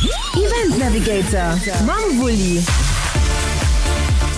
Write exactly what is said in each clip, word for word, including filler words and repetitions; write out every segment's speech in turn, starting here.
Event Navigator mam Wulli.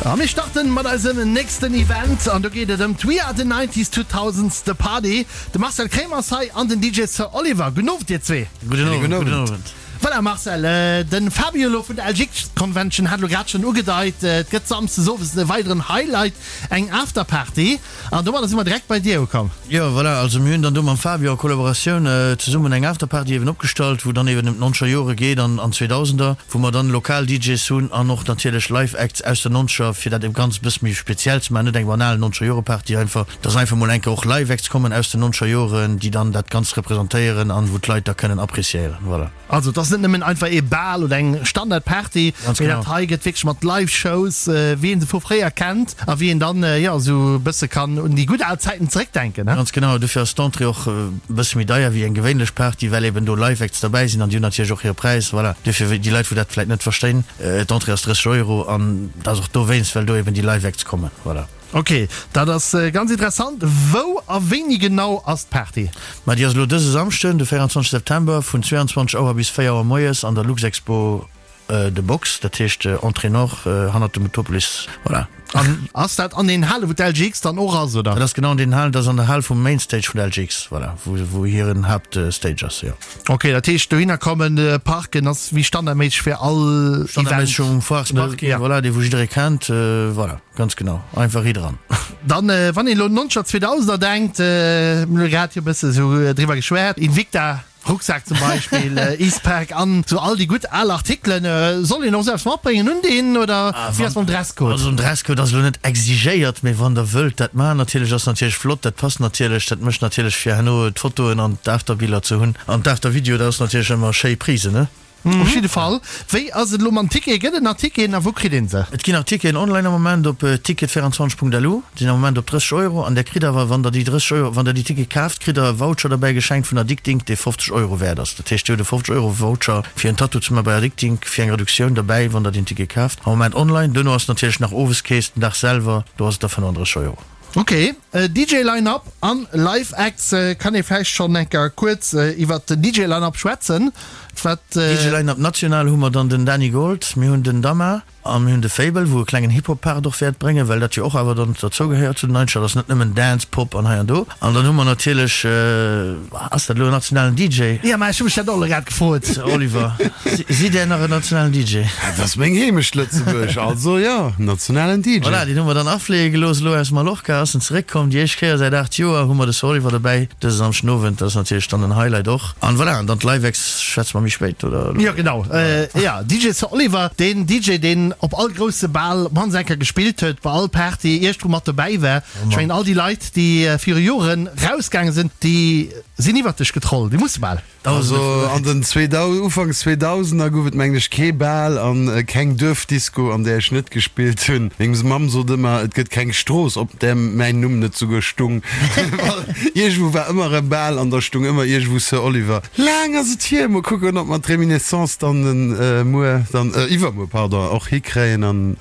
A mir starten mat eisem nächsten Event an do geet et ëm d'We Are The Nineties Two Thousands The Party. De Marcel Kremer ass hei an den D J Sir Oliver. Gudden Owend dir zwee. Gudden Owend. Gudden Owend. Voilà Marcel, de Fabio elo vun der L G X Convention hat elo grad schonn ugedeit, et gëtt samsdes owes e weideren Highlight, eng Afterparty. An domadder si mer direkt bei dir ukomm. Jo voilà, also mir hunn dann do mam Fabio a Kollaboratioun zesummen eng Afterparty eben opgestallt, wou dann eben ëm d'nonzeger Jore geet an an d'Zweedausender, wou mer dann lokal D Js hunn an och natierlech Live Acts aus den Nonzeger, fir dat eben ganz e bësse méi speziell ze maachen, net eng banal nonzeger Jore Party einfach, dass einfach mol eng Kéier och Live Acts kommen aus den nonzeger Joren, déi dann dat Ganzt representéieren an wou d'Leit da kënnen appreciéieren. Voilà. Also et ass net nëmmen einfach ee Bal oder eng Standardparty, Ganz mee genau. dat hei gëtt wierklech mat Live Shows, wéi een se vu fréier kennt a wéi een dann, jo, esou e bësse kann un déi gutt al Zäiten zeréckdenken, ne? Ganz genau, dofir ass d'Entrée och e bësse méi deier wéi eng gewéinlech Party, well eben do Live Acts derbäi sinn an déi hunn natierlech och hire Präis. Voilà, dofir déi Leit, wou dat vläit net verstinn, d'Entrée ass drësseg Euro an dat ass och dowéinst, well do eben déi Live Acts kommen. Voilà. Ok, dat ass ganz interessant. Wou a wéini genau ass d'Party? Ma déi ass elo dëse Samschden, de véierundzwanzeg September, vun zwéianzwanzeg Auer bis véier Auer moies an der Luxexpo The Box, dat heescht Entrée Nord, hannert dem Utopolis. Voilà. An ass dat an den Hale wou d'L G X dann och ass, oder? Dat ass genau an den Halen, dat ass an der Hal vum Main Stage vun der L G X, voilà, wou, wou hiren Haaptstage ass, jo. Ok, dat heescht dohinner kommen, parken ass wéi standardméisseg fir all Event. Standardméisseg um Foires Parking, ja. Voilà, dee wou jidderee kennt, voilà, ganz genau, einfach ri dran. Dann, wann een elo un nonzeger, zweedausender denkt, mir hu grad jo e bësse sou driwwer geschwat, Invicta, Rucksak zum Beispill, Eastpak an sou all déi gutt al Artikelen, soll een och sou eppes matbréngen un deen oder wéi ass mam Dresscode? Also den Dresscode ass elo net exigéiert, mee wann der wëllt dat maachen, natierlech, ass natierlech flott, dat passt natierlech, dat mécht natierlech fir herno d'Fotoen an d'Afterbiller ze hunn an d'Aftervideo, dat ass natierlech ëmmer schéi Prise, ne? Op jidde Fall, wéi ass et elo mam Ticket? Gëtt et nach Ticketen a wou kritt een se? Et ginn nach Ticketen online am Moment op ticket vierundzwanzeg Punkt L U, déi sinn am Moment op drësseg Euro an där kritt awer, wann der déi drësseg Euro, wann der déi Ticket kaaft, kritt der e Voucher derbäi geschenkt vun Addictink, dee fofzeg Euro wäert ass. Dat heescht, dir hutt e fofzeg Euro Voucher fir en Tattoo ze maache bei Addictink, fir eng Reduktioun derbäi, wann der deen Ticket kaaft. Am Moment online, duerno ass natierlech nach Oweskeess den Dag selwer, do ass et da fënnefandrësseg Euro. Ok, D J Line-Up an Live Acts, kann ee vläicht schonn enker kuerz iwwert den D J Line-Up schwätzen? Wat. D J Line-Up national hu mer dann den Dany Gold, mir hunn den Dama a mir hunn de Fable, wou e klengen Hip-Hop-Part och wäert bréngen, well dat jo och awer dann derzou gehéiert zu den Neinzeger, dat ass net nëmmen Dance, Pop an hei an do. An dann hu mer natierlech, ass dat elo en nationalen D J? Jo, mä ech hu mech dat och elo grad gefrot. Oliver, sidd Där nach en nationalen D J? Dat ass meng Heemecht Lëtzebuerg, also jo, nationalen D J. Voilà, deen hu mer dann afléie gelooss elo aus Mallorca, ass en zeréckkomm. Déi éischt Kéier säit aacht Joer hu mer de Sir Oliver dobäi dëse Samschden Owend. Dat ass natierlech dann en Highlight och. An voilà, an dann d'Live Acts schwätze mer méi spéit, oder? Jo, genau. Jo, D J Sir Oliver, deen D J, deen op all grousse Bal mannst eng Kéier gespillt huet, bei all Party iergendwou mat dobäi war. Ech mengen, all déi Leit, déi viru Joren rausgaange sinn, déi sinn iwwert dech getrollt, déi musse bal. Also an den Ufanks zweedausender gouf et mengen ech kee Bal an keng Duerfdisco, an där ech net gespillt hunn. Meng Mamm sot ëmmer, et gëtt keng Strooss, op där mäin Numm net souguer stung. Well iergendwou war ëmmer e Bal an da stung ëmmer iergendwou Sir Oliver. Laang ass et hier, mol kucken, ob mer d'Reminiscence dann muer, dann iwwermuer, pardon, och hikréien an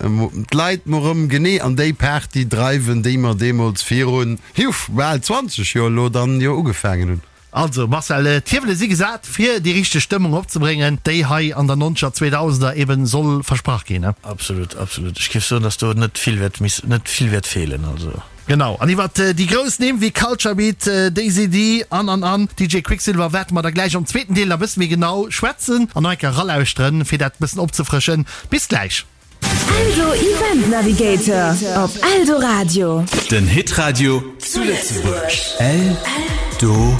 d'Leit mol rëm genee an déi Party dreiwen, déi mer deemools virun, juff, bal zwanzeg Joer elo dann jo ugefaangen hunn. Also Marcel, d'Hiewele si gesat fir déi richteg Stëmmung opzebréngen, déi hei an der nonzeger, zweedausender eben soll versprach ginn. Absolut, absolut. Ech géif soen, dass do net vill wäert miss, net vill wäert feelen, also. Genau, an iwwert déi grouss Nimm wéi Culture Beat, Daisy D an an an D J Quicksilver wäerte mer da gläich am zweeten Deel nach e bësse méi genau schwätzen an nach eng Kéier eralauschteren, fir dat e bëssen opzefrëschen. Bis gläich! Eldo Event Navigator op Eldoradio. Den Hitradio zu Lëtzebuerg. Eldoradio.